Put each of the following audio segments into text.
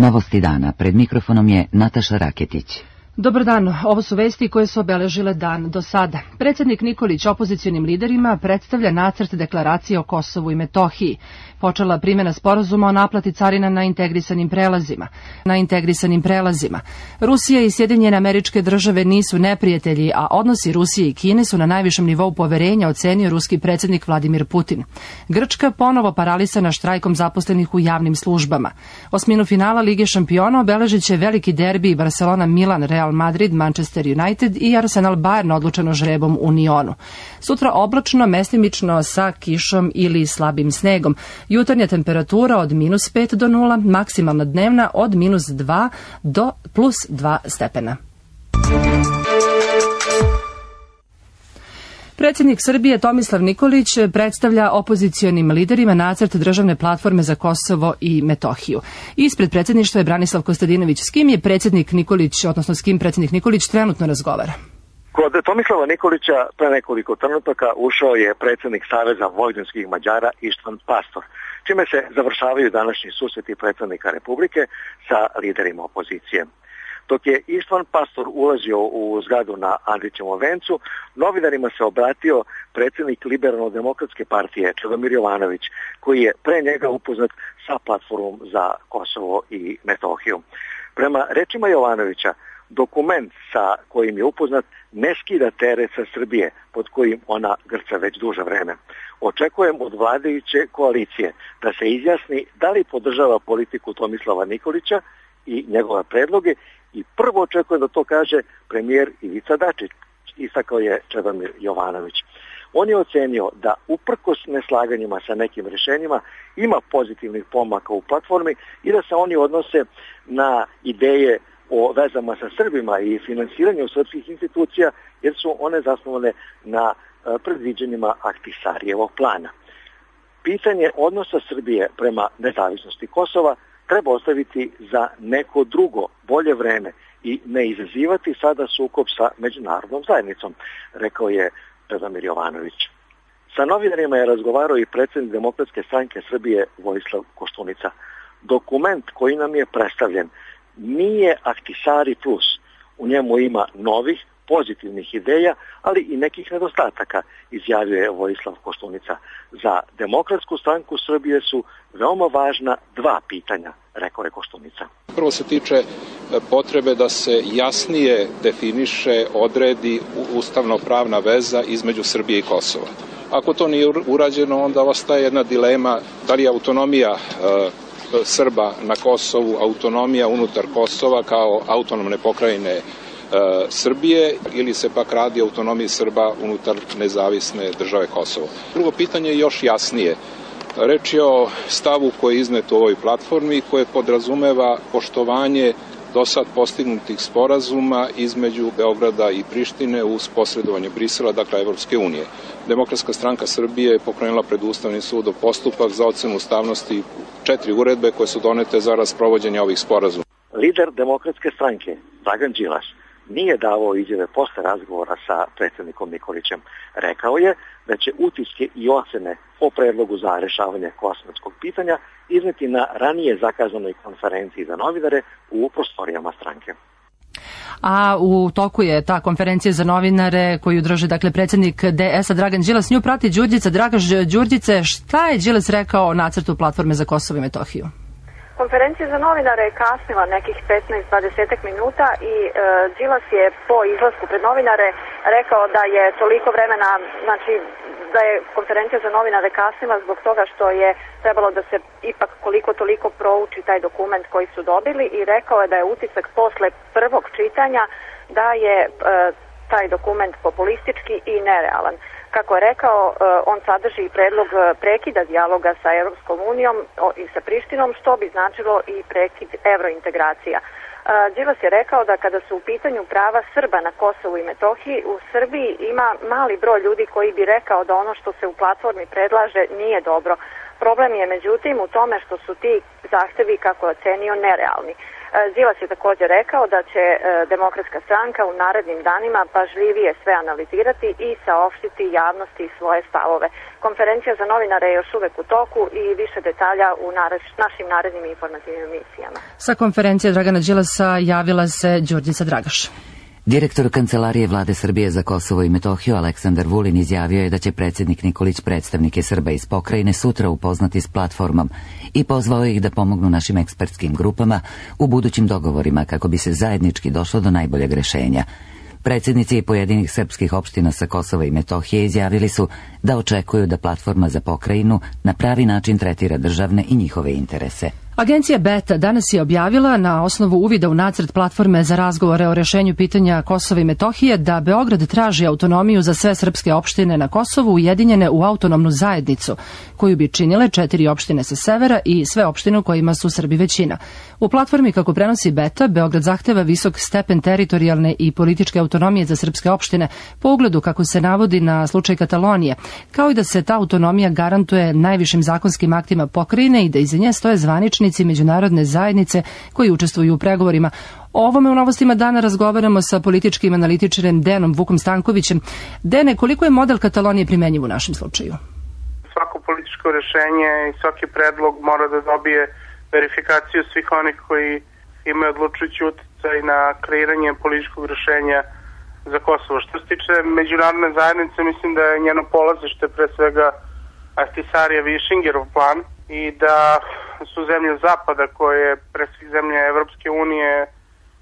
Novosti dana. Pred mikrofonom je Nataša Raketić. Dobar dan, ovo su vesti koje su obeležile dan do sada. Predsjednik Nikolić opozicionim liderima predstavlja nacrt deklaracije o Kosovu i Metohiji. Počela primjena sporazuma o naplati carina na integrisanim prelazima. Rusija i Sjedinjene Američke Države nisu neprijatelji, a odnosi Rusije i Kine su na najvišem nivou poverenja, ocenio ruski predsjednik Vladimir Putin. Grčka ponovo paralisana štrajkom zaposlenih u javnim službama. Osminu finala Lige šampiona obeležit će veliki derbi Barcelona-Milan, Real Madrid, Manchester United i Arsenal Bayern odlučeno žrebom u Nionu. Sutra oblačno, mestimično sa kišom ili slabim snegom. Jutarnja temperatura od -5 do 0, maksimalna dnevna od -2 do +2 stepena. Predsjednik Srbije Tomislav Nikolić predstavlja opozicionim liderima nacrt državne platforme za Kosovo i Metohiju. Ispred predsjedništva je Branislav Kostadinović. S kim je predsjednik Nikolić, odnosno s kim predsjednik Nikolić trenutno razgovara? Kod Tomislava Nikolića pre nekoliko trenutaka ušao je predsjednik Saveza vojvođanskih Mađara Ištvan Pastor, čime se završavaju današnji susreti predsjednika Republike sa liderima opozicije. Dok je Ištvan Pastor ulazio u zgradu na Andrićevom vencu, novinarima se obratio predsjednik Liberalno-demokratske partije Čedomir Jovanović, koji je pre njega upoznat sa platformom za Kosovo i Metohiju. Prema rečima Jovanovića, dokument sa kojim je upoznat ne skida teret sa Srbije, pod kojim ona grca već duže vreme. Očekujem od vladajuće koalicije da se izjasni da li podržava politiku Tomislava Nikolića i njegove predloge i prvo očekujem da to kaže premijer Ivica Dačić, istakao je Čedomir Jovanović. On je ocenio da uprkos neslaganjima sa nekim rješenjima ima pozitivnih pomaka u platformi i da se oni odnose na ideje o vezama sa Srbima i finansiranju srpskih institucija, jer su one zasnovane na predviđanjima Ahtisarijevog plana. Pitanje odnosa Srbije prema nezavisnosti Kosova treba ostaviti za neko drugo, bolje vreme i ne izazivati sada sukob sa međunarodnom zajednicom, rekao je Čedomir Jovanović. Sa novinarima je razgovarao i predsjednik Demokratske stranke Srbije Vojislav Koštunica. Dokument koji nam je predstavljen nije Ahtisari plus. U njemu ima novih, pozitivnih ideja, ali i nekih nedostataka, izjavio je Vojislav Koštunica. Za Demokratsku stranku Srbije su veoma važna dva pitanja, rekao je Koštunica. Prvo se tiče potrebe da se jasnije definiše, odredi ustavno-pravna veza između Srbije i Kosova. Ako to nije urađeno, onda ostaje jedna dilema da li je autonomija Srba na Kosovu, autonomija unutar Kosova kao autonomne pokrajine Srbije ili se pak radi o autonomiji Srba unutar nezavisne države Kosovo. Drugo pitanje je još jasnije. Reč je o stavu koji je iznet u ovoj platformi koje podrazumeva poštovanje do sad postignutih sporazuma između Beograda i Prištine uz posredovanje Brisela, dakle Evropske unije. Demokratska stranka Srbije je pokrenula pred Ustavnim sudom postupak za ocenu ustavnosti 4 uredbe koje su donete za sprovođenje ovih sporazuma. Lider Demokratske stranke, Dragan Đilas, nije davao izjave posle razgovora sa predsjednikom Nikolićem. Rekao je da će utiske i ocene o predlogu za rešavanje kosovskog pitanja izneti na ranije zakazanoj konferenciji za novinare u prostorijama stranke. A u toku je ta konferencija za novinare koju drži dakle predsjednik DS-a Dragan Đilas. Nju prati Đurđica. Draga Đurđice, šta je Đilas rekao o nacrtu platforme za Kosovo i Metohiju? Konferencija za novinare je kasnila nekih 15-20 minuta i Đilas je po izlasku pred novinare rekao da je toliko vremena, znači da je konferencija za novinare kasnila zbog toga što je trebalo da se ipak koliko toliko prouči taj dokument koji su dobili i rekao je da je utisak posle prvog čitanja da je taj dokument populistički i nerealan. Kako je rekao, on sadrži i predlog prekida dijaloga sa Europskom unijom i sa Prištinom, što bi značilo i prekid evrointegracija. Đilas je rekao da kada su u pitanju prava Srba na Kosovu i Metohiji, u Srbiji ima mali broj ljudi koji bi rekao da ono što se u platformi predlaže nije dobro. Problem je međutim u tome što su ti zahtevi, kako je ocenio, nerealni. Đilas je također rekao da će Demokratska stranka u narednim danima pažljivije sve analizirati i saopštiti javnosti svoje stavove. Konferencija za novinare je još uvek u toku i više detalja u našim narednim informativnim emisijama. Sa konferencije Dragana Đilasa javila se Đurđica Dragaš. Direktor Kancelarije Vlade Srbije za Kosovo i Metohiju Aleksandar Vulin izjavio je da će predsjednik Nikolić predstavnike Srba iz pokrajine sutra upoznati s platformom i pozvao ih da pomognu našim ekspertskim grupama u budućim dogovorima kako bi se zajednički došlo do najboljeg rešenja. Predsjednici pojedinih srpskih opština sa Kosova i Metohije izjavili su da očekuju da platforma za pokrajinu na pravi način tretira državne i njihove interese. Agencija Beta danas je objavila na osnovu uvida u nacrt platforme za razgovore o rešenju pitanja Kosova i Metohije da Beograd traži autonomiju za sve srpske opštine na Kosovu ujedinjene u autonomnu zajednicu, koju bi činile 4 opštine sa severa i sve opštine u kojima su Srbi većina. U platformi, kako prenosi Beta, Beograd zahteva visok stepen teritorijalne i političke autonomije za srpske opštine, po ugledu, kako se navodi, na slučaj Katalonije, kao i da se ta autonomija garantuje najvišim zakonskim aktima pokrajine i da iza nje stoje zvanični međunarodne zajednice koji učestvuju u pregovorima. O ovome u Novostima dana razgovaramo sa političkim analitičarem Dejanom Vukom Stankovićem. Dene, koliko je model Katalonije primenjiv u našem slučaju? Svako političko rešenje i svaki predlog mora da dobije verifikaciju svih onih koji imaju odlučujući uticaj na kreiranje političkog rešenja za Kosovo. Što se tiče međunarodne zajednice, mislim da je njeno polazište pre svega Ahtisaarijev i Schingerov plan i da su zemlje zapada, koje pre svih zemlje Evropske unije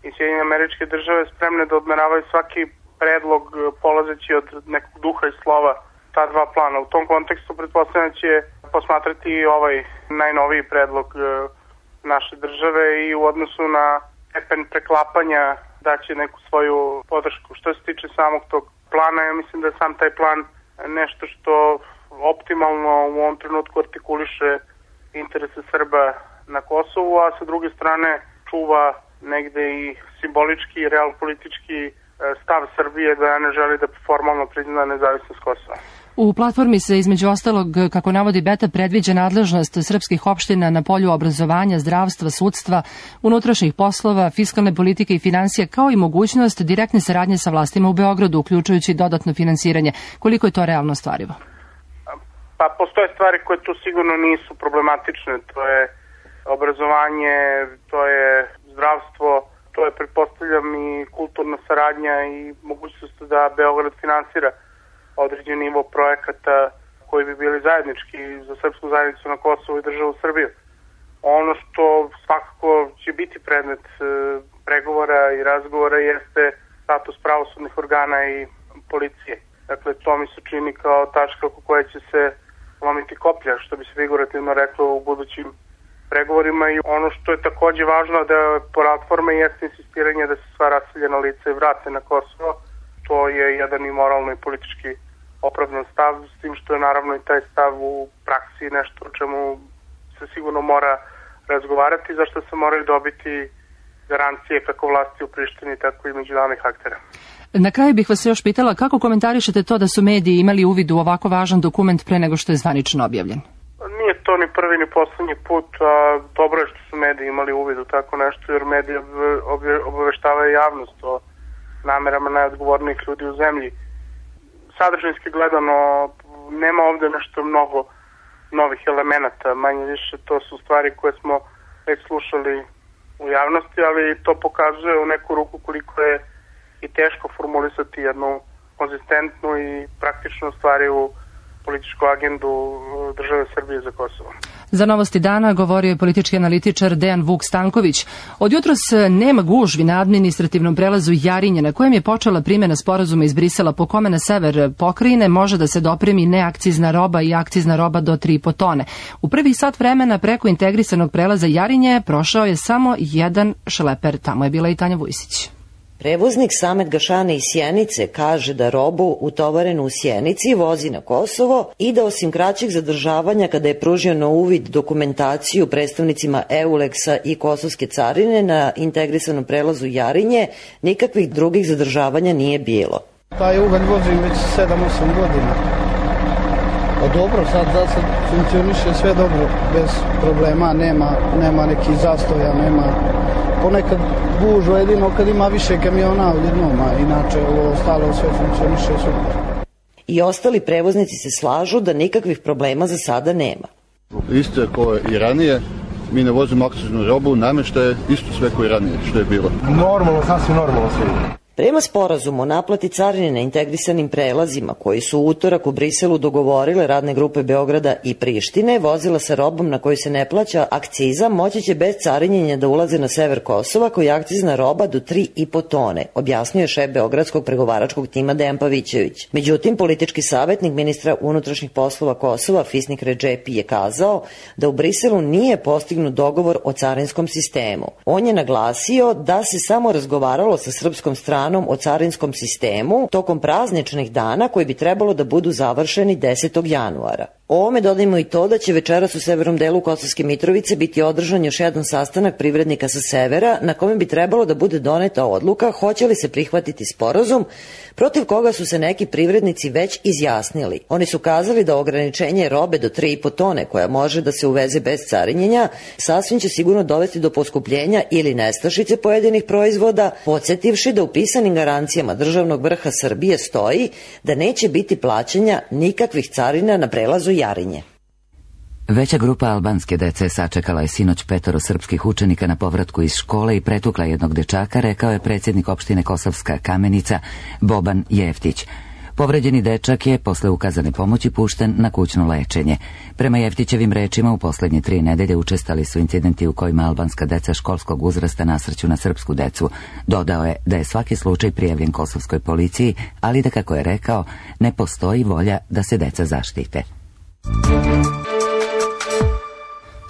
i Sjedinjene Američke Države, spremne da odmeravaju svaki predlog polazeći od nekog duha i slova ta dva plana. U tom kontekstu pretpostavljam će posmatrati i ovaj najnoviji predlog naše države i u odnosu na stepen preklapanja daće neku svoju podršku. Što se tiče samog tog plana, ja mislim da je sam taj plan nešto što optimalno u ovom trenutku artikuliše interese Srba na Kosovu, a sa druge strane čuva negde i simbolički i realpolitički stav Srbije da ne želi da formalno prizna nezavisnost Kosova. U platformi se između ostalog, kako navodi Beta, predviđa nadležnost srpskih opština na polju obrazovanja, zdravstva, sudstva, unutrašnjih poslova, fiskalne politike i finansija, kao i mogućnost direktne saradnje sa vlastima u Beogradu, uključujući dodatno finansiranje. Koliko je to realno ostvarivo? Pa postoje stvari koje tu sigurno nisu problematične, to je obrazovanje, to je zdravstvo, to je, pretpostavljam, i kulturna saradnja i mogućnost da Beograd finansira određen nivo projekata koji bi bili zajednički za srpsku zajednicu na Kosovu i državu Srbiju. Ono što svakako će biti predmet pregovora i razgovora jeste status pravosudnih organa i policije. Dakle, to mi se čini kao tačka oko koje će se lomiti koplja, što bi se figurativno reklo, u budućim pregovorima. I ono što je takođe važno da platforma jeste insistiranje da se sva raseljena lica vrate na Kosovo. To je jedan i moralno i politički opravdan stav, s tim što je naravno i taj stav u praksi nešto o čemu se sigurno mora razgovarati, za što se moraju dobiti garancije kako vlasti u Prištini, tako i međunarodnih aktera. Na kraju bih vas još pitala kako komentarišete to da su mediji imali uvid u ovako važan dokument pre nego što je zvanično objavljen? Nije to ni prvi ni poslednji put, a dobro je što su mediji imali uvid u tako nešto, jer mediji obaveštavaju javnost o namerama najodgovornijih ljudi u zemlji. Sadržinski gledano, nema ovde nešto mnogo novih elemenata, manje više to su stvari koje smo već slušali u javnosti, ali to pokazuje u neku ruku koliko je i teško formulisati jednu konzistentnu i praktičnu stvari u političku agendu države Srbije za Kosovo. Za Novosti dana govorio je politički analitičar Dejan Vuk Stanković. Od jutros nema gužvi na administrativnom prelazu Jarinje, na kojem je počela primjena sporazuma iz Brisela, po kome na sever pokrajine može da se dopremi neakcizna roba i akcizna roba do 3,5 tone. U prvih sat vremena preko integrisanog prelaza Jarinje prošao je samo jedan šleper. Tamo je bila i Tanja Vujsić. Prevoznik Samet Gašane iz Sjenice kaže da robu utovarenu u Sjenici vozi na Kosovo i da osim kraćeg zadržavanja kada je pružio na uvid dokumentaciju predstavnicima EULEX-a i Kosovske carine na integrisanom prelazu Jarinje, nikakvih drugih zadržavanja nije bilo. Taj ugalj vozim već 7-8 godina. Od Dobro, sad funkcioniše sve dobro, bez problema, nema nekih zastoja, nema ponekad gužva jedino kad ima više kamiona odjednom, a inače ovo ostalo sve funkcioniše super. I ostali prevoznici se slažu da nikakvih problema za sada nema. Isto je kao i ranije, mi ne vozimo akciznu robu, namještaje isto sve kao i ranije što je bilo. Normalno, sasvim normalno sve. Prema sporazumu o naplati carine na integrisanim prelazima koji su u utorak u Briselu dogovorile radne grupe Beograda i Prištine, vozila sa robom na koju se ne plaća akciza moći će bez carinjenja da ulaze na sever Kosova koji je akcizna roba do 3,5 tone, objasnio je šef Beogradskog pregovaračkog tima Dejan Pavićević. Međutim, politički savjetnik ministra unutrašnjih poslova Kosova Fisnik Redžepi je kazao da u Briselu nije postignut dogovor o carinskom sistemu. On je naglasio da se samo razgovaralo sa srpskom stranom o carinskom sistemu tokom prazničnih dana koji bi trebalo da budu završeni 10. januara. Ovome dodajmo i to da će večeras u severnom delu Kosovske Mitrovice biti održan još jedan sastanak privrednika sa severa na kome bi trebalo da bude doneta odluka hoće li se prihvatiti sporazum protiv koga su se neki privrednici već izjasnili. Oni su kazali da ograničenje robe do 3,5 tone koja može da se uveze bez carinjenja sasvim će sigurno dovesti do poskupljenja ili nestašice pojedinih proizvoda, podsjetivši da u pisanim garancijama državnog vrha Srbije stoji da neće biti plaćanja nikakvih carina na prelazu Jarinje. Veća grupa albanske dece sačekala je sinoć 5 srpskih učenika na povratku iz škole i pretukla jednog dečaka, rekao je predsjednik opštine Kosovska Kamenica Boban Jeftić. Povređeni dečak je posle ukazane pomoći pušten na kućno lečenje. Prema Jeftićevim rečima, u poslednje 3 nedelje učestali su incidenti u kojima albanska deca školskog uzrasta nasrću na srpsku decu. Dodao je da je svaki slučaj prijavljen kosovskoj policiji, ali da, kako je rekao, ne postoji volja da se deca zaštite.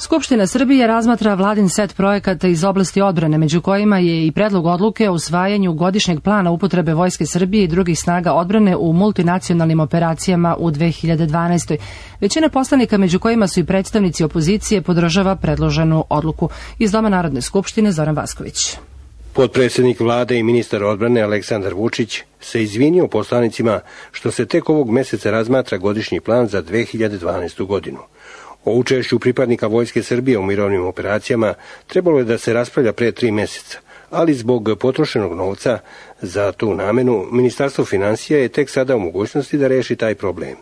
Skupština Srbije razmatra vladin set projekata iz oblasti odbrane, među kojima je i predlog odluke o usvajanju godišnjeg plana upotrebe Vojske Srbije i drugih snaga odbrane u multinacionalnim operacijama u 2012. Većina poslanika, među kojima su i predstavnici opozicije, podržava predloženu odluku. Iz Doma Narodne skupštine Zoran Vasković. Potpredsjednik vlade i ministar odbrane Aleksandar Vučić se izvinio poslanicima što se tek ovog meseca razmatra godišnji plan za 2012. godinu. O učešću pripadnika Vojske Srbije u mirovnim operacijama trebalo je da se raspravlja pre 3 meseca, ali zbog potrošenog novca za tu namenu, Ministarstvo finansija je tek sada u mogućnosti da reši taj problem.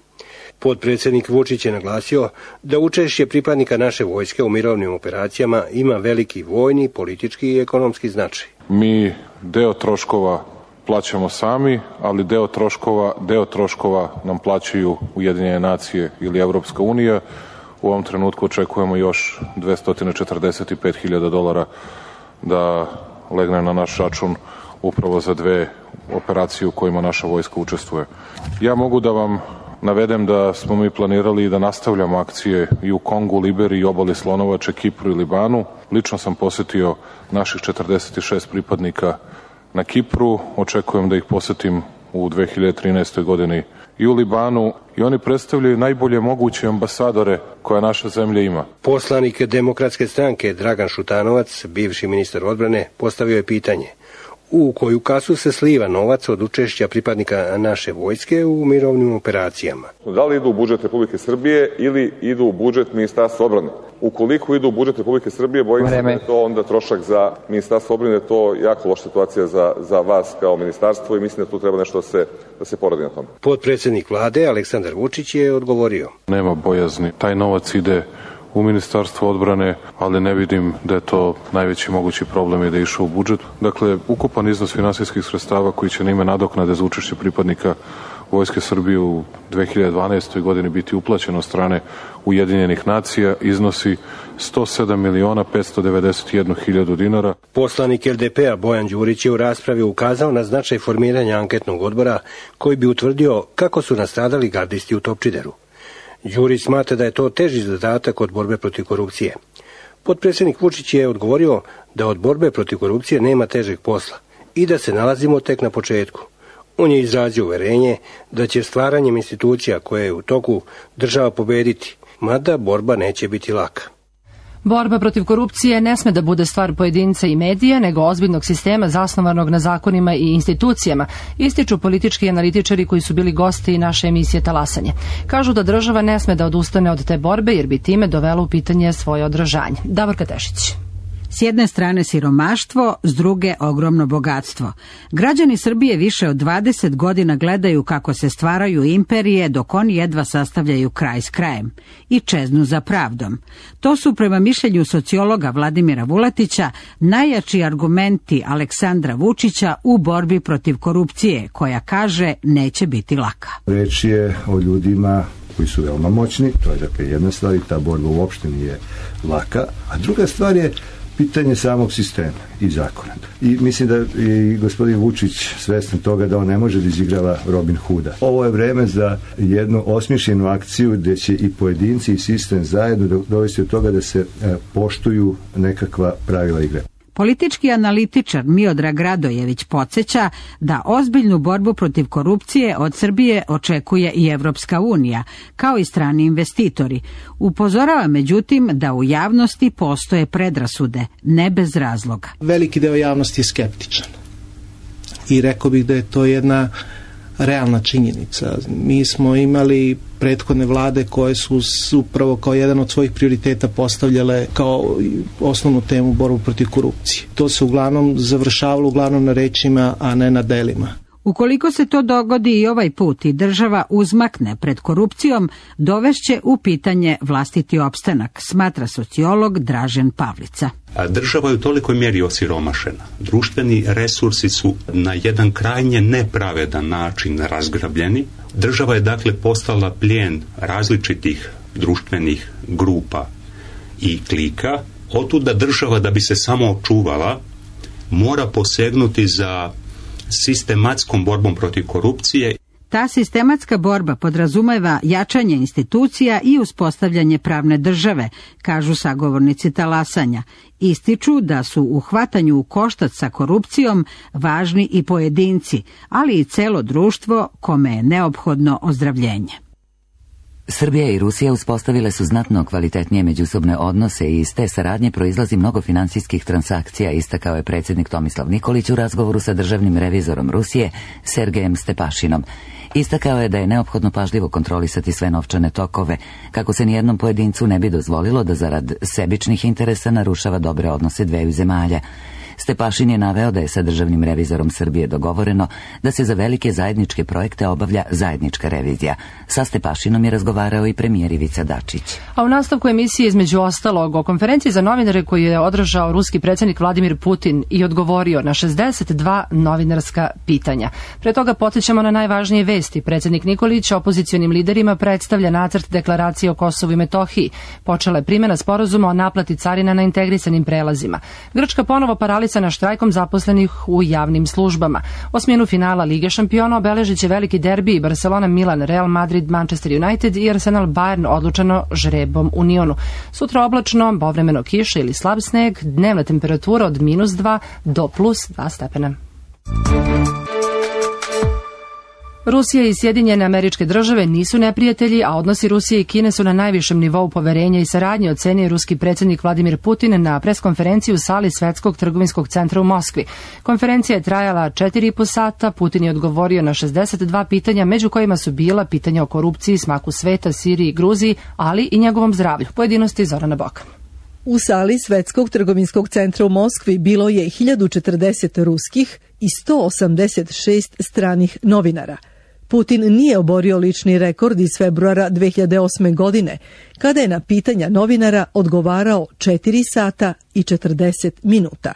Potpredsjednik Vučić je naglasio da učešće pripadnika naše vojske u mirovnim operacijama ima veliki vojni, politički i ekonomski značaj. Mi deo troškova plaćamo sami, ali deo troškova nam plaćaju Ujedinjene nacije ili Evropska unija. U ovom trenutku očekujemo još $245.000 da legne na naš račun upravo za 2 operacije u kojima naša vojska učestvuje. Ja mogu da vam navedem da smo mi planirali da nastavljamo akcije i u Kongu, Liberiji, Obali Slonovače, Kipru i Libanu. Lično sam posetio naših 46 pripadnika na Kipru. Očekujem da ih posetim u 2013. godini i u Libanu i oni predstavljaju najbolje moguće ambasadore koja naša zemlja ima. Poslanik Demokratske stranke Dragan Šutanovac, bivši ministar odbrane, postavio je pitanje: u koju kasu se sliva novac od učešća pripadnika naše vojske u mirovnim operacijama? Da li idu u budžet Republike Srbije ili idu u budžet Ministarstva odbrane? Ukoliko idu u budžet Republike Srbije, bojim se da je to onda trošak za Ministarstvo odbrane, to je jako loša situacija za vas kao ministarstvo i mislim da tu treba nešto da se poradi na tome. Potpredsjednik vlade Aleksandar Vučić je odgovorio: nema bojazni, taj novac ide u Ministarstvo odbrane, ali ne vidim da je to najveći mogući problem i da je išao u budžet. Dakle, ukupan iznos finansijskih sredstava koji će na ime nadoknade za učešće pripadnika Vojske Srbije u 2012. godini biti uplaćeno od strane Ujedinjenih nacija iznosi 107.591.000 dinara. Poslanik LDP-a Bojan Đurić je u raspravi ukazao na značaj formiranja anketnog odbora koji bi utvrdio kako su nastradali gardisti u Topčideru. Đurić smatra da je to teži zadatak od borbe protiv korupcije. Potpredsjednik Vučić je odgovorio da od borbe protiv korupcije nema težeg posla i da se nalazimo tek na početku. On je izrazio uverenje da će stvaranjem institucija koje je u toku država pobediti, mada borba neće biti laka. Borba protiv korupcije ne sme da bude stvar pojedinca i medija, nego ozbiljnog sistema zasnovanog na zakonima i institucijama, ističu politički analitičari koji su bili gosti naše emisije Talasanje. Kažu da država ne sme da odustane od te borbe jer bi time dovela u pitanje svoje održanje. Davorka Tešić. S jedne strane siromaštvo, s druge ogromno bogatstvo. Građani Srbije više od 20 godina gledaju kako se stvaraju imperije dok oni jedva sastavljaju kraj s krajem i čeznu za pravdom. To su prema mišljenju sociologa Vladimira Vuletića najjači argumenti Aleksandra Vučića u borbi protiv korupcije, koja kaže neće biti laka. Reč je o ljudima koji su veoma moćni, to je dakle jedna stvar i ta borba uopšte nije laka, a druga stvar je pitanje samog sistema i zakona. I mislim da je gospodin Vučić svestan toga da on ne može da izigrava Robin Hooda. Ovo je vreme za jednu osmišljenu akciju gde će i pojedinci i sistem zajedno dovesti od toga da se poštuju nekakva pravila igre. Politički analitičar Miodrag Radojević podsjeća da ozbiljnu borbu protiv korupcije od Srbije očekuje i Evropska unija, kao i strani investitori. Upozorava međutim da u javnosti postoje predrasude, ne bez razloga. Veliki deo javnosti je skeptičan i rekao bih da je to jedna realna činjenica. Mi smo imali prethodne vlade koje su upravo kao jedan od svojih prioriteta postavljale kao osnovnu temu borbu protiv korupcije. To se uglavnom završavalo uglavnom na rečima, a ne na delima. Ukoliko se to dogodi i ovaj put i država uzmakne pred korupcijom, dovešće u pitanje vlastiti opstanak, smatra sociolog Dražen Pavlica. A država je u tolikoj mjeri osiromašena. Društveni resursi su na jedan krajnje nepravedan način razgrabljeni. Država je dakle postala plijen različitih društvenih grupa i klika. Otuda država, da bi se samo očuvala, mora posegnuti za sistematskom borbom protiv korupcije. Ta sistematska borba podrazumeva jačanje institucija i uspostavljanje pravne države, kažu sagovornici Talasanja. Ističu da su u hvatanju u koštac sa korupcijom važni i pojedinci, ali i celo društvo kome je neophodno ozdravljenje. Srbija i Rusija uspostavile su znatno kvalitetnije međusobne odnose i iz te saradnje proizlazi mnogo finansijskih transakcija, istakao je predsjednik Tomislav Nikolić u razgovoru sa državnim revizorom Rusije Sergejem Stepašinom. Istakao je da je neophodno pažljivo kontrolisati sve novčane tokove, kako se nijednom pojedincu ne bi dozvolilo da zarad sebičnih interesa narušava dobre odnose dveju zemalja. Stepašin je naveo da je sa državnim revizorom Srbije dogovoreno da se za velike zajedničke projekte obavlja zajednička revizija. Sa Stepašinom je razgovarao i premijer Ivica Dačić. A u nastavku emisije između ostalog o konferenciji za novinare koju je održao ruski predsjednik Vladimir Putin i odgovorio na 62 novinarska pitanja. Pre toga podsjećamo na najvažnije vesti. Predsjednik Nikolić opozicionim liderima predstavlja nacrt deklaracije o Kosovu i Metohiji. Počela je primjena sporazuma o naplati carina na integrisanim prelazima. Grčka ponovo paralisana štrajkom zaposlenih u javnim službama. Osminu finala Lige šampiona obeležit će veliki derbi Barcelona, Milan, Real Madrid, Manchester United i Arsenal Bayern odlučeno žrebom u Nionu. Sutra oblačno, povremeno kiša ili slab sneg, dnevna temperatura od -2 do +2 stepena. Rusija i Sjedinjene Američke Države nisu neprijatelji, a odnosi Rusije i Kine su na najvišem nivou poverenja i saradnje, ocenio ruski predsjednik Vladimir Putin na preskonferenciji u sali Svetskog trgovinskog centra u Moskvi. Konferencija je trajala 4,5 sata, Putin je odgovorio na 62 pitanja, među kojima su bila pitanja o korupciji, smaku sveta, Siriji i Gruziji, ali i njegovom zdravlju. Pojedinosti Zorana Boka. U sali Svetskog trgovinskog centra u Moskvi bilo je 1040 ruskih i 186 stranih novinara. Putin nije oborio lični rekord iz februara 2008. godine, kada je na pitanja novinara odgovarao 4 sata i 40 minuta.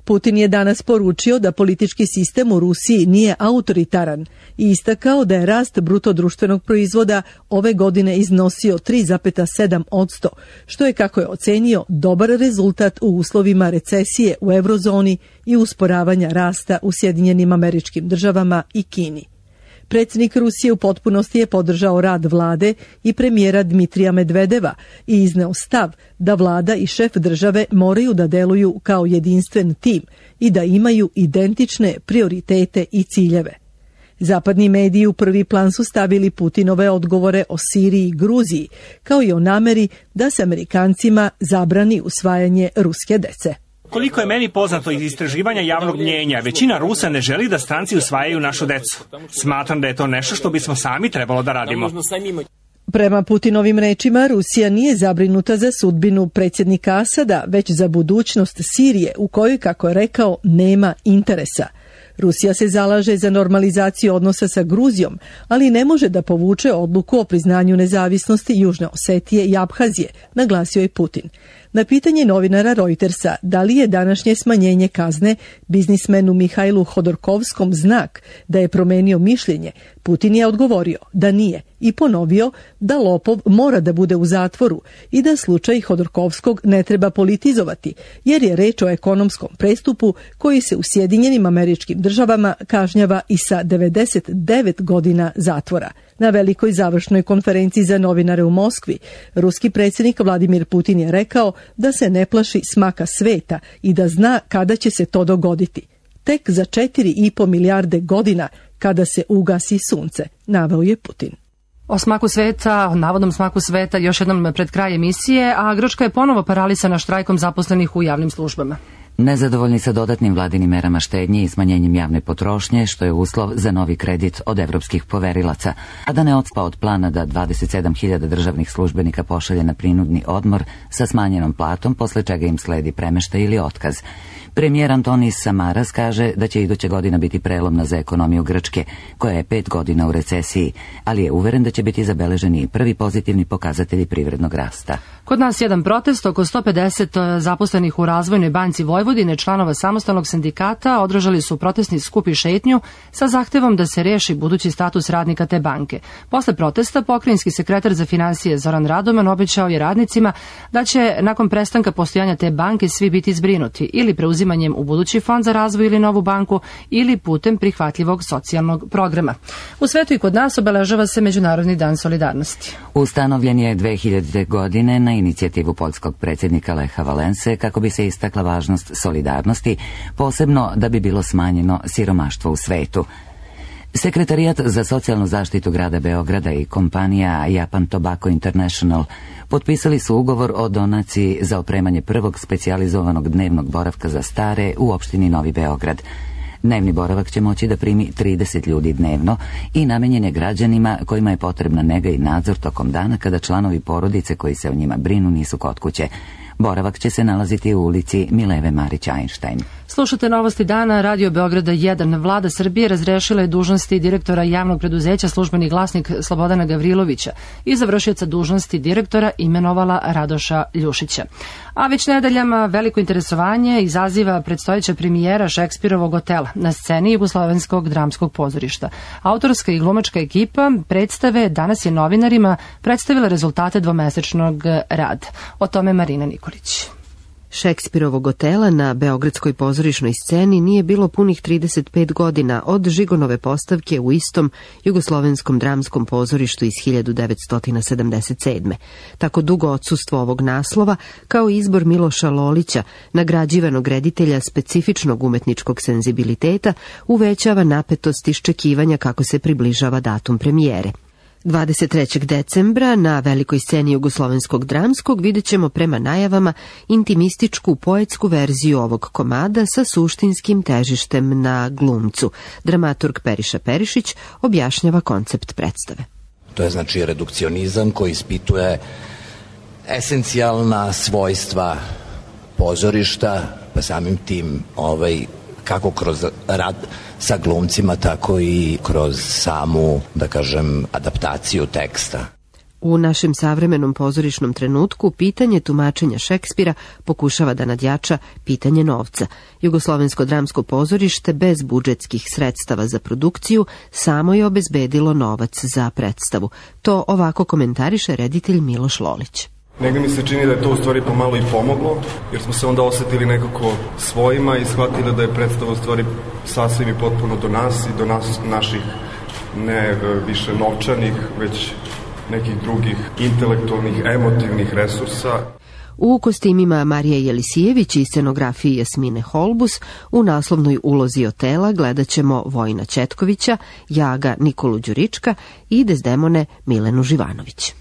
Putin je danas poručio da politički sistem u Rusiji nije autoritaran i istakao da je rast bruto društvenog proizvoda ove godine iznosio 3,7%, što je, kako je ocenio, dobar rezultat u uslovima recesije u eurozoni i usporavanja rasta u Sjedinjenim Američkim Državama i Kini. Predsjednik Rusije u potpunosti je podržao rad vlade i premijera Dmitrija Medvedeva i izneo stav da vlada i šef države moraju da deluju kao jedinstven tim i da imaju identične prioritete i ciljeve. Zapadni mediji u prvi plan su stavili Putinove odgovore o Siriji i Gruziji, kao i o nameri da se Amerikancima zabrani usvajanje ruske dece. Koliko je meni poznato iz istraživanja javnog mnjenja, većina Rusa ne želi da stranci usvajaju našu decu. Smatram da je to nešto što bismo sami trebalo da radimo. Prema Putinovim rečima, Rusija nije zabrinuta za sudbinu predsjednika Asada, već za budućnost Sirije, u kojoj, kako je rekao, nema interesa. Rusija se zalaže za normalizaciju odnosa sa Gruzijom, ali ne može da povuče odluku o priznanju nezavisnosti Južne Osetije i Abhazije, naglasio je Putin. Na pitanje novinara Reutersa da li je današnje smanjenje kazne biznismenu Mihajlu Hodorkovskom znak da je promenio mišljenje, Putin je odgovorio da nije i ponovio da lopov mora da bude u zatvoru i da slučaj Hodorkovskog ne treba politizovati, jer je reč o ekonomskom prestupu koji se u Sjedinjenim Američkim Državama kažnjava i sa 99 godina zatvora. Na velikoj završnoj konferenciji za novinare u Moskvi, ruski predsjednik Vladimir Putin je rekao da se ne plaši smaka sveta i da zna kada će se to dogoditi. Tek za 4,5 milijarde godina kada se ugasi sunce, naveo je Putin. O smaku sveta, o navodnom smaku sveta, još jednom pred kraj emisije, a Grčka je ponovo paralisana štrajkom zaposlenih u javnim službama. Nezadovoljni sa dodatnim vladinim merama štednje i smanjenjem javne potrošnje, što je uslov za novi kredit od evropskih poverilaca, a da ne odspa od plana da 27.000 državnih službenika pošalje na prinudni odmor sa smanjenom platom, posle čega im sledi premeštaj ili otkaz. Premijer Antonis Samaras kaže da će iduća godina biti prelomna za ekonomiju Grčke, koja je 5 godina u recesiji, ali je uveren da će biti zabeleženi i prvi pozitivni pokazatelji privrednog rasta. Kod nas jedan protest, oko 150 zaposlenih u Razvojnoj banci Vojvodine, članova samostalnog sindikata, održali su protestni skup i šetnju sa zahtevom da se reši budući status radnika te banke. Posle protesta, pokrajinski sekretar za finansije Zoran Radoman obećao je radnicima da će nakon prestanka postojanja te banke svi biti zbrinuti ili preuzimanjem u budući fond za razvoj ili novu banku ili putem prihvatljivog socijalnog programa. U svetu i kod nas obeležava se Međunarodni dan solidarnosti. Ustanovljen je 2000. godine na inicijativu poljskog predsjednika Leha Valense kako bi se istakla važnost solidarnosti, posebno da bi bilo smanjeno siromaštvo u svetu. Sekretarijat za socijalnu zaštitu grada Beograda i kompanija Japan Tobacco International potpisali su ugovor o donaciji za opremanje prvog specijalizovanog dnevnog boravka za stare u opštini Novi Beograd. Dnevni boravak će moći da primi 30 ljudi dnevno i namenjen je građanima kojima je potrebna nega i nadzor tokom dana kada članovi porodice koji se o njima brinu nisu kod kuće. Boravak će se nalaziti u ulici Mileve Marić-Einstein. Slušate Novosti dana, Radio Beograda 1. Vlada Srbije razrešila je dužnosti direktora javnog preduzeća Službeni glasnik Slobodana Gavrilovića i za vršioca dužnosti direktora imenovala Radoša Ljušića. A već nedeljama veliko interesovanje izaziva predstojeća premijera Šekspirovog Otela na sceni Jugoslovenskog dramskog pozorišta. Autorska i glumačka ekipa predstave danas je novinarima predstavila rezultate dvomesečnog rada. O tome Marina Nikolić. Šekspirovog Otela na beogradskoj pozorišnoj sceni nije bilo punih 35 godina od Žigonove postavke u istom Jugoslovenskom dramskom pozorištu iz 1977. Tako dugo odsustvo ovog naslova, kao izbor Miloša Lolića, nagrađivanog reditelja specifičnog umetničkog senzibiliteta, uvećava napetost iščekivanja kako se približava datum premijere. 23. decembra na velikoj sceni Jugoslovenskog dramskog vidjet ćemo prema najavama intimističku poetsku verziju ovog komada sa suštinskim težištem na glumcu. Dramaturg Periša Perišić objašnjava koncept predstave. To je znači redukcionizam koji ispituje esencijalna svojstva pozorišta, pa samim tim kako kroz rad sa glumcima, tako i kroz samu, da kažem, adaptaciju teksta. U našem savremenom pozorišnom trenutku pitanje tumačenja Šekspira pokušava da nadjača pitanje novca. Jugoslovensko dramsko pozorište bez budžetskih sredstava za produkciju samo je obezbedilo novac za predstavu. To ovako komentariše reditelj Miloš Lolić. Negde mi se čini da je to u stvari pomalo i pomoglo, jer smo se onda osetili nekako svojima i shvatili da je predstava u stvari sasvim i potpuno do nas i do nas naših ne više novčanih, već nekih drugih intelektualnih, emotivnih resursa. U kostimima Marija Jelisijević i scenografiji Jasmine Holbus, u naslovnoj ulozi Otela gledat ćemo Vojina Četkovića, Jaga Nikolu Đurička i Dezdemone Milenu Živanović.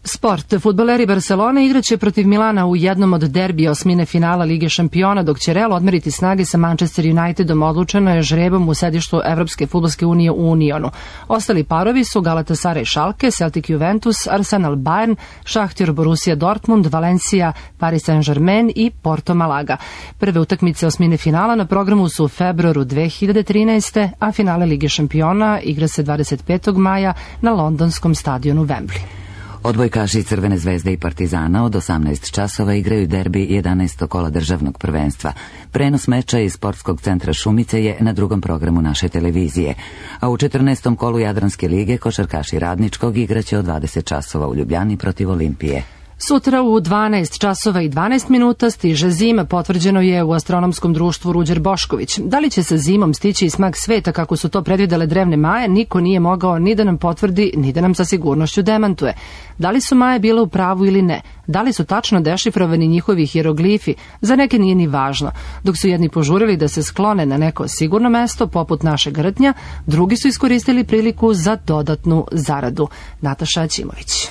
Sport. Fudbaleri Barcelone igraće protiv Milana u jednom od derbija osmine finala Lige šampiona, dok će Real odmeriti snage sa Manchester Unitedom. Odlučeno je žrebom u sedištu Evropske fudbalske unije u Unionu. Ostali parovi su Galatasaray Schalke, Celtic Juventus, Arsenal Bayern, Šahtjor Borussia Dortmund, Valencia Paris Saint-Germain i Porto Malaga. Prve utakmice osmine finala na programu su u februaru 2013. a finale Lige šampiona igra se 25. maja na londonskom stadionu Wembley. Odbojkaši Crvene zvezde i Partizana od 18 časova igraju derbi 11. kola državnog prvenstva. Prenos meča iz sportskog centra Šumice je na drugom programu naše televizije. A u 14. kolu Jadranske lige košarkaši Radničkog igraće od 20 časova u Ljubljani protiv Olimpije. Sutra u 12 časova i 12 minuta stiže zima, potvrđeno je u astronomskom društvu Ruđer Bošković. Da li će sa zimom stići i smak sveta kako su to predvidele drevne maje, niko nije mogao ni da nam potvrdi, ni da nam sa sigurnošću demantuje. Da li su maje bile u pravu ili ne? Da li su tačno dešifrovani njihovi hieroglifi? Za neke nije ni važno. Dok su jedni požurili da se sklone na neko sigurno mesto, poput našeg Rtnja, drugi su iskoristili priliku za dodatnu zaradu. Nataša Aćimović.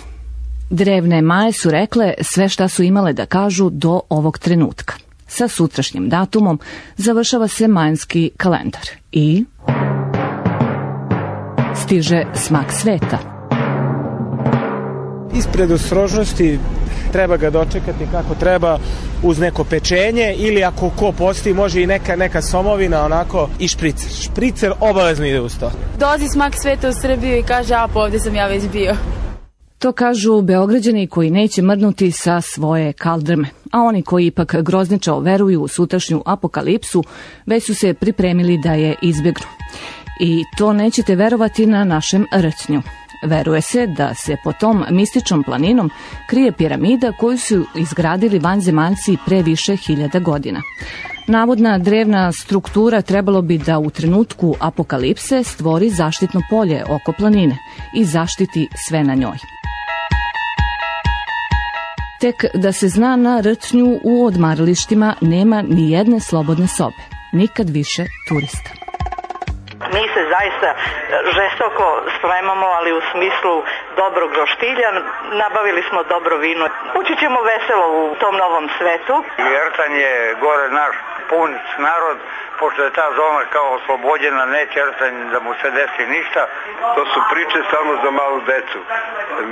Drevne maje su rekle sve šta su imale da kažu do ovog trenutka. Sa sutrašnjim datumom završava se majanski kalendar i stiže smak sveta. Ispred ostrožnosti treba ga dočekati kako treba, uz neko pečenje ili ako ko posti može i neka somovina onako i špricer. Špricer obavezno ide uz to. Dolazi smak sveta u Srbiju i kaže a pa ovdje sam ja već bio. To kažu Beograđani koji neće mrdnuti sa svoje kaldrme, a oni koji ipak grozničao veruju u sutrašnju apokalipsu, već su se pripremili da je izbjegnu. I to nećete verovati na našem Rtnju. Veruje se da se po tom mističnom planinom krije piramida koju su izgradili vanzemaljci pre više hiljada godina. Navodna drevna struktura trebalo bi da u trenutku apokalipse stvori zaštitno polje oko planine i zaštiti sve na njoj. Tek da se zna, na Rtnju u odmaralištima nema ni jedne slobodne sobe. Nikad više turista. Mi se zaista žestoko spremamo, ali u smislu dobrog roštilja. Nabavili smo dobro vino. Ući ćemo veselo u tom novom svetu. Rtanj je gore naš pun narod, pošto je ta zona kao oslobođena, neće Rtanj da mu se desi ništa. To su priče samo za malu decu.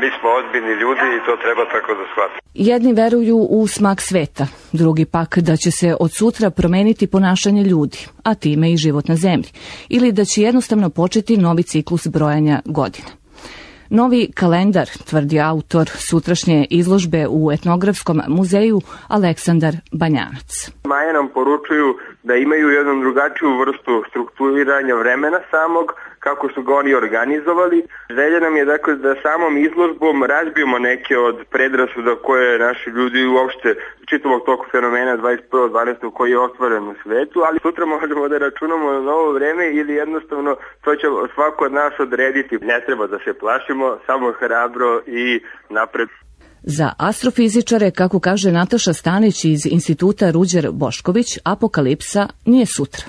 Mi smo ozbiljni ljudi i to treba tako da shvatimo. Jedni veruju u smak sveta, drugi pak da će se od sutra promeniti ponašanje ljudi, a time i život na zemlji, ili da će jednostavno početi novi ciklus brojanja godina. Novi kalendar, tvrdi autor sutrašnje izložbe u etnografskom muzeju Aleksandar Banjanac. Maje nam poručuju da imaju jednu drugačiju vrstu strukturiranja vremena samog, kako su ga oni organizovali. Želja nam je dakle da samom izložbom razbijemo neke od predrasuda koje naši ljudi uopšte čitavog tog fenomena 21.12. koji je ostvaren u svetu, ali sutra možemo da računamo na novo vreme ili jednostavno to će svako od nas odrediti. Ne treba da se plašimo, samo hrabro i napred. Za astrofizičare, kako kaže Nataša Stanić iz Instituta Ruđer Bošković, apokalipsa nije sutra.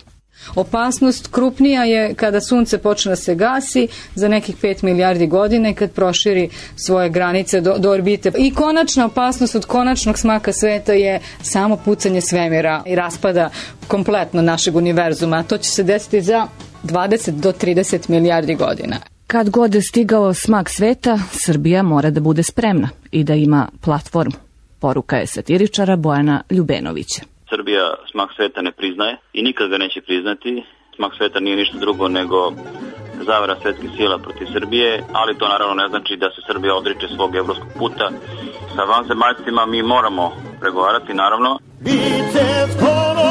Opasnost krupnija je kada sunce počne da se gasi za nekih 5 milijardi godina i kad proširi svoje granice do orbite. I konačna opasnost od konačnog smaka sveta je samo pucanje svemira i raspada kompletno našeg univerzuma. A to će se desiti za 20 do 30 milijardi godina. Kad god je stigao smak sveta, Srbija mora da bude spremna i da ima platformu. Poruka je satiričara Bojana Ljubenovića. Srbija smak sveta ne priznaje i nikad ga neće priznati. Smak sveta nije ništa drugo nego zavera svetskih sila protiv Srbije, ali to naravno ne znači da se Srbija odriče svog evropskog puta. Sa vanzemaljcima mi moramo pregovarati, naravno. Biće skoro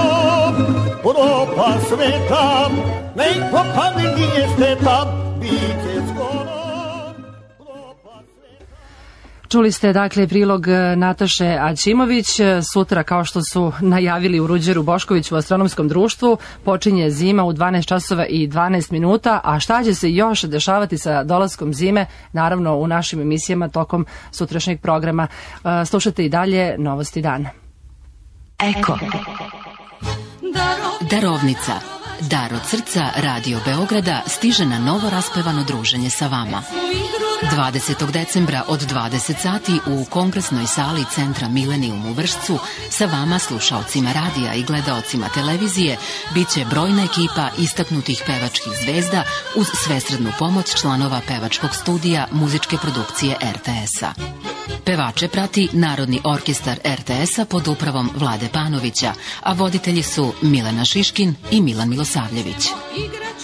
Europa sveta, nek popadne nije šteta, biće skoro. Čuli ste dakle prilog Nataše Aćimović. Sutra, kao što su najavili u Ruđeru Boškoviću u Astronomskom društvu, počinje zima u 12 časova i 12 minuta, a šta će se još dešavati sa dolaskom zime, naravno u našim emisijama tokom sutrašnjeg programa. Slušajte i dalje Novosti dana. Eko. Darovnica. Dar od srca Radio Beograda stiže na novo raspevano druženje sa vama. 20. decembra od 20 sati u kongresnoj sali Centra Milenijum u Vršcu sa vama, slušaocima radija i gledaocima televizije, bit će brojna ekipa istaknutih pevačkih zvezda uz svesrednu pomoć članova pevačkog studija muzičke produkcije RTS-a. Pevače prati Narodni orkestar RTS-a pod upravom Vlade Panovića, a voditelji su Milena Šiškin i Milan Milosavljević.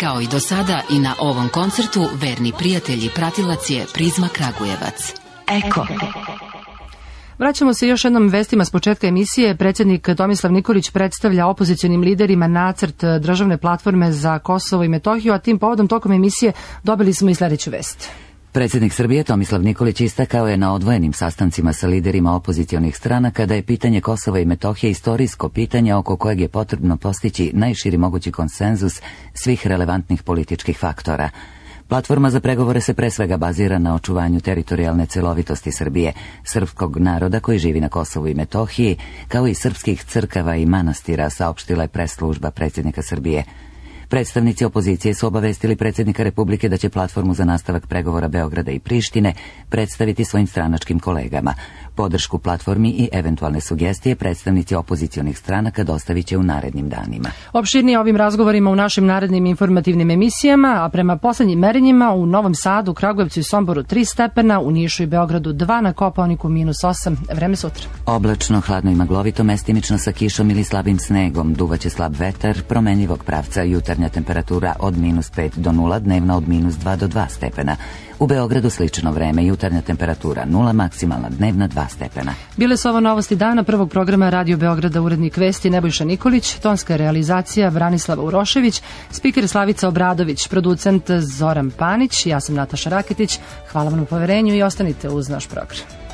Kao i do sada, i na ovom koncertu verni prijatelj i pratilac je Prizma Kragujevac. Eko. Vraćamo se još jednom vestima s početka emisije. Predsjednik Tomislav Nikolić predstavlja opozicionim liderima nacrt državne platforme za Kosovo i Metohiju, a tim povodom tokom emisije dobili smo i sljedeću vest. Predsjednik Srbije Tomislav Nikolić istakao je na odvojenim sastancima sa liderima opozicionih stranaka da je pitanje Kosova i Metohije istorijsko pitanje oko kojeg je potrebno postići najširi mogući konsenzus svih relevantnih političkih faktora. Platforma za pregovore se pre svega bazira na očuvanju teritorijalne celovitosti Srbije, srpskog naroda koji živi na Kosovu i Metohiji, kao i srpskih crkava i manastira, saopštila je pres služba predsjednika Srbije. Predstavnici opozicije su obavestili predsjednika Republike da će platformu za nastavak pregovora Beograda i Prištine predstaviti svojim stranačkim kolegama. Podršku platformi i eventualne sugestije predstavnici opozicionih stranaka dostavit će u narednim danima. Opširnije ovim razgovorima u našim narednim informativnim emisijama, a prema poslednjim merenjima u Novom Sadu, Kragujevcu i Somboru 3 stepena, u Nišu i Beogradu 2, na Kopaoniku -8. Vreme sutra. Oblačno, hladno i maglovito, mestimično sa kišom ili slabim snegom, duvaće slab vetar, promenljivog pravca, jutarnja temperatura od -5 do 0, dnevna od -2 do 2 stepena. U Beogradu slično vreme, jutarnja temperatura 0, maksimalna dnevna 2 stepena. Bile su ovo Novosti dana prvog programa Radio Beograda, urednik vesti Nebojša Nikolić, tonska realizacija Branislava Urošević, spiker Slavica Obradović, producent Zoran Panić, ja sam Nataša Raketić. Hvala vam na poverenju i ostanite uz naš program.